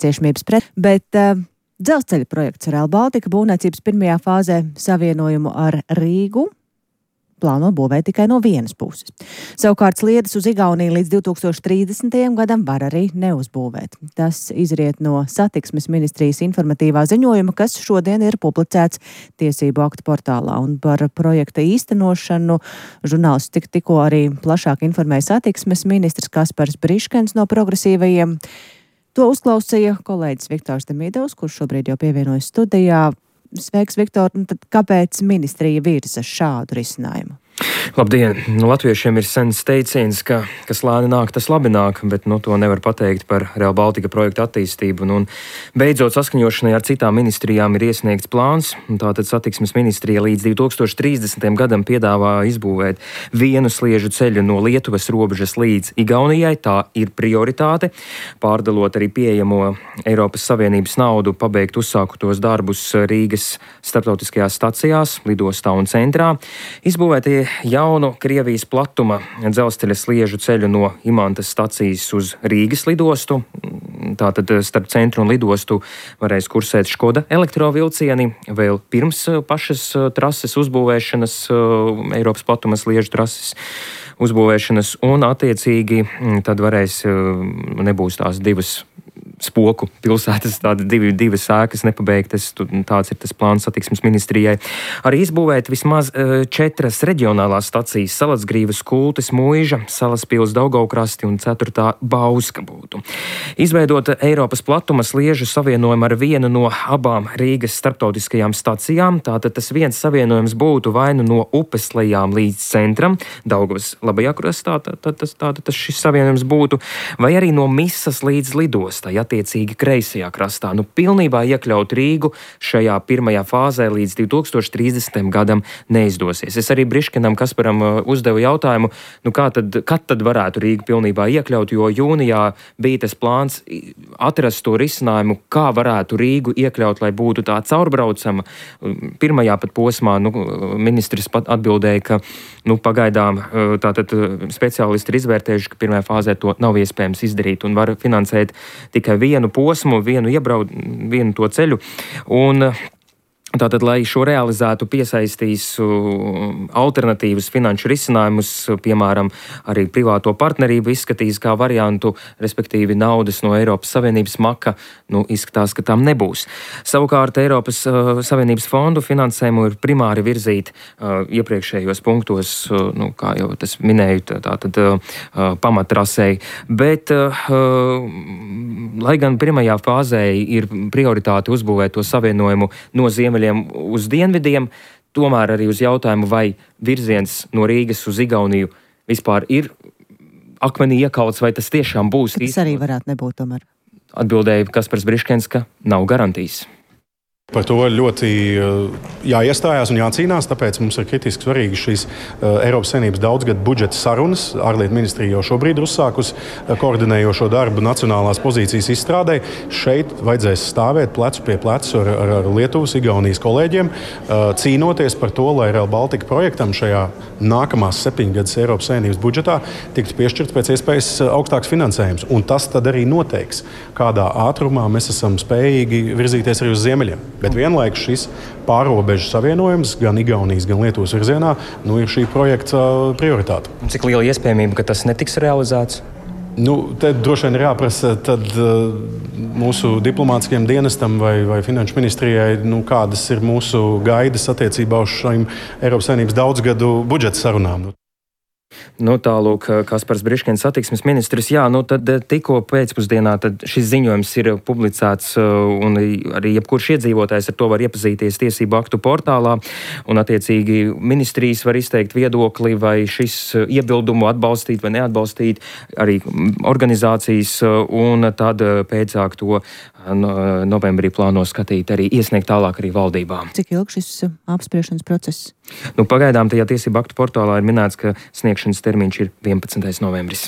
ciešamības pret, bet dzelzceļa projekts Rail Baltica būvniecības pirmajā fāzē savienojumu ar Rīgu plāno būvēt tikai no vienas puses. Savukārt sliedes uz Igauniju līdz 2030. gadam var arī neuzbūvēt. Tas izriet no satiksmes ministrijas informatīvā ziņojuma, kas šodien ir publicēts tiesību aktu portālā. Un par projekta īstenošanu žurnālisti tikko arī plašāk informēja satiksmes ministrs Kaspars Briškens no Progresīvajiem. To uzklausīja kolēģis Viktors Demidovs, kurš šobrīd jau pievienojas studijā. Sveiks, Viktor, un tad kāpēc ministrija virza šādu risinājumu? Labdien! Latviešiem ir sens teiciens, ka kas lēni nāk, tas labi nāk, bet to nevar pateikt par Rail Baltica projektu attīstību. Un beidzot saskaņošanai ar citām ministrijām ir iesniegts plāns. Tātad satiksmes ministrija līdz 2030. gadam piedāvā izbūvēt vienu sliežu ceļu no Lietuvas robežas līdz Igaunijai. Tā ir prioritāte. Pārdalot arī pieejamo Eiropas Savienības naudu, pabeigt uzsākutos darbus Rīgas starptautiskajās stacijās, lidostā un centrā. Izbūvētie jaunu Krievijas platuma dzelzceļa sliežu ceļu no Imantas stacijas uz Rīgas lidostu. Tātad starp centru un lidostu varēs kursēt Škoda elektrovilcieni vēl pirms pašas trases uzbūvēšanas, Eiropas platuma sliežu trases uzbūvēšanas, un attiecīgi tad nebūs tās divas spoku pilsētas, divas ēkas nepabeigtas. Tāds ir tas plāns satiksmes ministrijai. Arī izbūvēt vismaz 4 reģionālās stacijas - Salacgrīvas, Kultes, Muiža, Salaspils, Daugavkrasti un 4. Bauska būtu. Izveidot Eiropas platuma sliežu savienojumu ar vienu no abām Rīgas starptautiskajām stacijām. Tātad tas viens savienojums būtu vai nu no upes lejām līdz centram, Daugavas labajā krastā, tas šis savienojums būtu, vai arī no Misas līdz lidostai, attiecīgi kreisajā krastā. Pilnībā iekļaut Rīgu šajā pirmajā fāzē līdz 2030. gadam neizdosies. Es arī Briškenam Kasparam uzdevu jautājumu, kad tad varētu Rīgu pilnībā iekļaut, jo jūnijā bija tas plāns atrast to risinājumu, kā varētu Rīgu iekļaut, lai būtu tā caurbraucama. Pirmajā pat posmā ministrs pat atbildēja, ka pagaidām tātad speciālisti ir izvērtējuši, ka pirmajā fāzē to nav iespējams izdarīt un var finansēt tikai vienu posmu, vienu to ceļu. Un tātad, lai šo realizētu, piesaistīs alternatīvas finanšu risinājumus, piemēram, arī privāto partnerību izskatīs kā variantu, respektīvi naudas no Eiropas Savienības maka, izskatās, ka tam nebūs. Savukārt Eiropas Savienības fondu finansējumu ir primāri virzīt iepriekšējos punktos, kā jau tas minēju, tātad pamattrasei, bet lai gan pirmajā fāzē ir prioritāte uzbūvēt to savienojumu no ziemeļiem uz dienvidiem, tomēr arī uz jautājumu, vai virziens no Rīgas uz Igauniju vispār ir akmenī iekauts, vai tas tiešām būs. Tas arī varētu nebūt tomēr. Atbildēja Kaspars Briškens, ka nav garantijas. Par to ļoti jāiestājās un jācīnās, tāpēc mums ir kritiski svarīgi šīs Eiropas Savienības daudzgadu budžeta sarunas. Ārlietu ministrija jau šobrīd ir uzsākusi koordinējošo darbu nacionālās pozīcijas izstrādē. Šeit vajadzēs stāvēt plecu pie plecu ar Lietuvas, Igaunijas kolēģiem, cīnoties par to, lai Rail Baltica projektam šajā nākamās 7 gadus Eiropas Savienības budžetā tiktu piešķirts pēc iespējas augstāks finansējums. Un tas tad arī noteiks, kādā ātrumā mēs esam spējīgi virzīties arī uz ziemeļiem. Bet vienlaikus šis pārrobežu savienojums gan Igaunijas, gan Lietuvas virzienā ir šī projekta prioritāte. Cik liela iespējamība, ka tas netiks realizēts? Te droši vien ir jāprasa mūsu diplomātiskajam dienestam vai finanšu ministrijai, kādas ir mūsu gaidas attiecībā uz šīm Eiropas Savienības daudzgadu budžeta sarunām. Tālūk, Kaspars Briškens, satiksmes ministrs. Tad tikko pēcpusdienā šis ziņojums ir publicēts, un arī jebkurš iedzīvotājs ar to var iepazīties tiesību aktu portālā, un attiecīgi ministrijas var izteikt viedokli, vai šis iebildumu atbalstīt vai neatbalstīt, arī organizācijas, un tad pēcāk to novembrī plāno skatīt, arī iesniegt tālāk arī valdībā. Cik ilgi šis apspriešanas process? Pagaidām tajā tiesību aktu portālā ir minēts, ka sniegšanas termiņš ir 11. novembris.